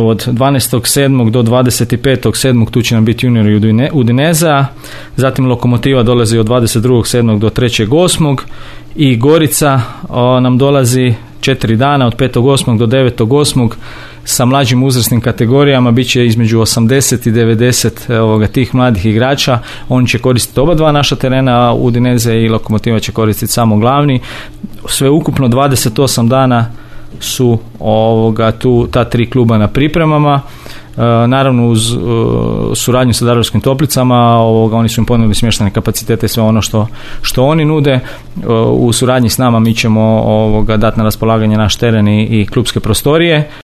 Od 12.7. do 25.7. tu će nam biti juniori Udineza, zatim Lokomotiva dolazi od 22.7. do 3.8. i Gorica nam dolazi 4 dana od 5.8. do 9.8. sa mlađim uzrasnim kategorijama, bit će između 80 i 90 tih mladih igrača. Oni će koristiti oba dva naša terena, Udineze i Lokomotiva će koristiti samo glavni. Sve ukupno 28 dana su ta 3 kluba na pripremama. Naravno uz suradnju sa Daruvarskim Toplicama, oni su im ponudili smještajne kapacitete i sve ono što oni nude. U suradnji s nama mi ćemo dati na raspolaganje naš teren i klubske prostorije.